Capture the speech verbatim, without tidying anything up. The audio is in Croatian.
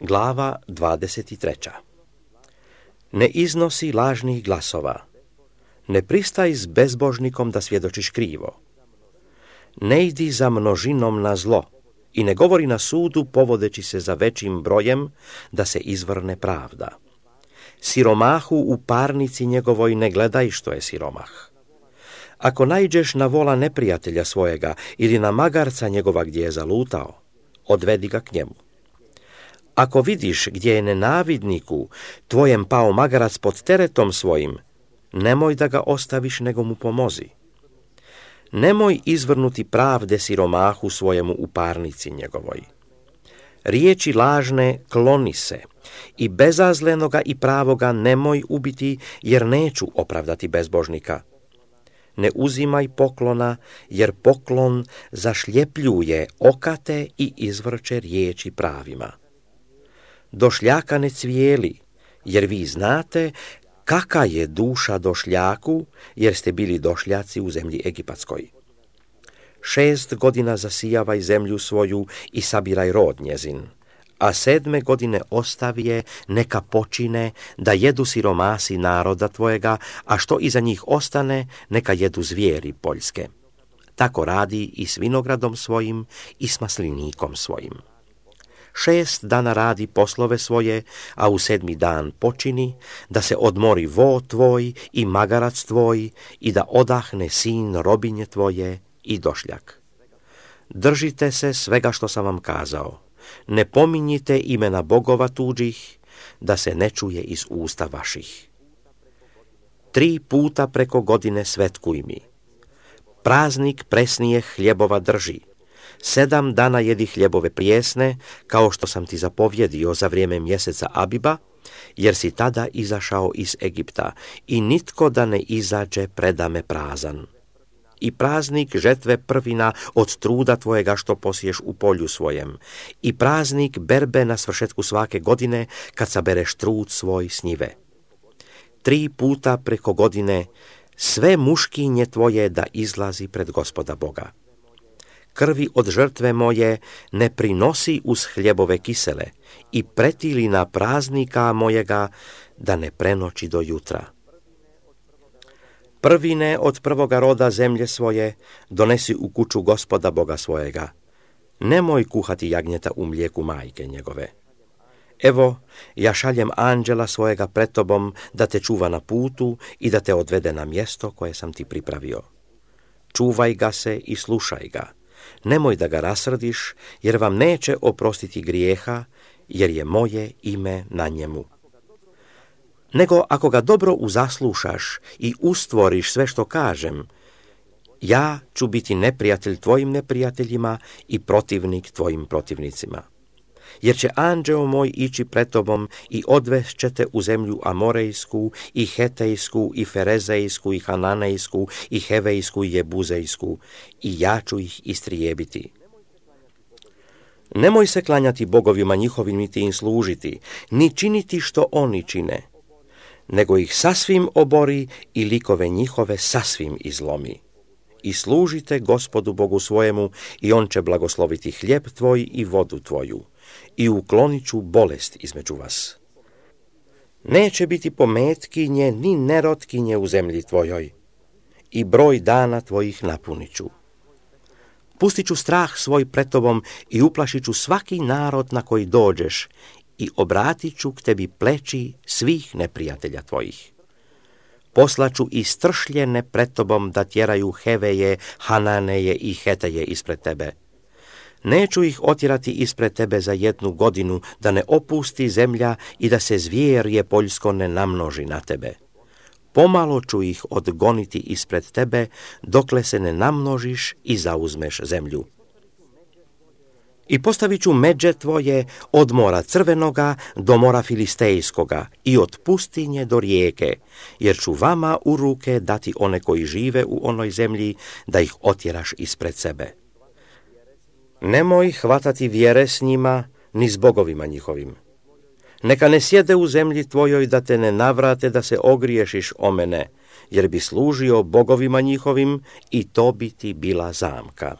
Glava dvadeset tri. Ne iznosi lažnih glasova. Ne pristaj s bezbožnikom da svjedočiš krivo. Ne idi za množinom na zlo i ne govori na sudu povodeći se za većim brojem da se izvrne pravda. Siromahu u parnici njegovoj ne gledaj što je siromah. Ako naiđeš na vola neprijatelja svojega ili na magarca njegova gdje je zalutao, odvedi ga k njemu. Ako vidiš gdje je nenavidniku tvojem pao magarac pod teretom svojim, nemoj da ga ostaviš nego mu pomozi. Nemoj izvrnuti pravde siromahu svojemu u parnici njegovoj. Riječi lažne kloni se i bezazlenoga i pravoga nemoj ubiti, jer neću opravdati bezbožnika. Ne uzimaj poklona, jer poklon zašljepljuje okate i izvrće riječi pravima. Došljaka ne cvijeli, jer vi znate kaka je duša došljaku, jer ste bili došljaci u zemlji egipatskoj. Šest godina zasijavaj zemlju svoju i sabiraj rod njezin, a sedme godine ostavi je neka počine da jedu siromasi naroda tvojega, a što iza njih ostane neka jedu zvijeri poljske. Tako radi i s vinogradom svojim i s maslinikom svojim. Šest dana radi poslove svoje, a u sedmi dan počini, da se odmori vo tvoj i magarac tvoj i da odahne sin robinje tvoje i došljak. Držite se svega što sam vam kazao. Ne pominjite imena bogova tuđih, da se ne čuje iz usta vaših. Tri puta preko godine svetkuj mi. Praznik presnijeh hljebova drži. Sedam dana jedi hljebove prijesne, kao što sam ti zapovjedio za vrijeme mjeseca Abiba, jer si tada izašao iz Egipta i nitko da ne izađe predame prazan. I praznik žetve prvina od truda tvojega što posiješ u polju svojem, i praznik berbe na svršetku svake godine, kad sabereš trud svoj s njive. Tri puta preko godine sve muškinje tvoje da izlazi pred Gospoda Boga. Krvi od žrtve moje ne prinosi uz hljebove kisele i pretilina praznika mojega da ne prenoći do jutra. Prvine od prvoga roda zemlje svoje donesi u kuću Gospoda Boga svojega. Nemoj kuhati jagnjeta u mlijeku majke njegove. Evo, ja šaljem anđela svojega pred tobom da te čuva na putu i da te odvede na mjesto koje sam ti pripravio. Čuvaj ga se i slušaj ga. Nemoj da ga rasrdiš, jer vam neće oprostiti grijeha, jer je moje ime na njemu. Nego ako ga dobro uzaslušaš i ustvoriš sve što kažem, ja ću biti neprijatelj tvojim neprijateljima i protivnik tvojim protivnicima. Jer će anđeo moj ići pred tobom i odvest će te u zemlju Amorejsku, i Hetejsku, i Ferezejsku, i Hananejsku, i Hevejsku, i Jebuzejsku, i ja ću ih istrijebiti. Nemoj se klanjati bogovima njihovim niti im služiti, ni činiti što oni čine, nego ih sasvim obori i likove njihove sasvim izlomi. I služite Gospodu Bogu svojemu, i on će blagosloviti hljeb tvoj i vodu tvoju, i uklonit ću bolest između vas. Neće biti pometkinje ni nerotkinje u zemlji tvojoj, i broj dana tvojih napunit ću. Pustit ću strah svoj pred tobom i uplašit ću svaki narod na koji dođeš, i obratit ću k tebi pleći svih neprijatelja tvojih. Poslaću i stršljene pred tobom da tjeraju Heveje, Hananeje i Heteje ispred tebe. Neću ih otjerati ispred tebe za jednu godinu, da ne opusti zemlja i da se zvjerje poljsko ne namnoži na tebe. Pomalo ću ih odgoniti ispred tebe, dokle se ne namnožiš i zauzmeš zemlju. I postavit ću međe tvoje od mora Crvenoga do mora Filistejskoga i od pustinje do rijeke, jer ću vama u ruke dati one koji žive u onoj zemlji, da ih otjeraš ispred sebe. Nemoj hvatati vjere s njima, ni s bogovima njihovim. Neka ne sjede u zemlji tvojoj da te ne navrate da se ogriješiš o mene, jer bi služio bogovima njihovim i to bi ti bila zamka.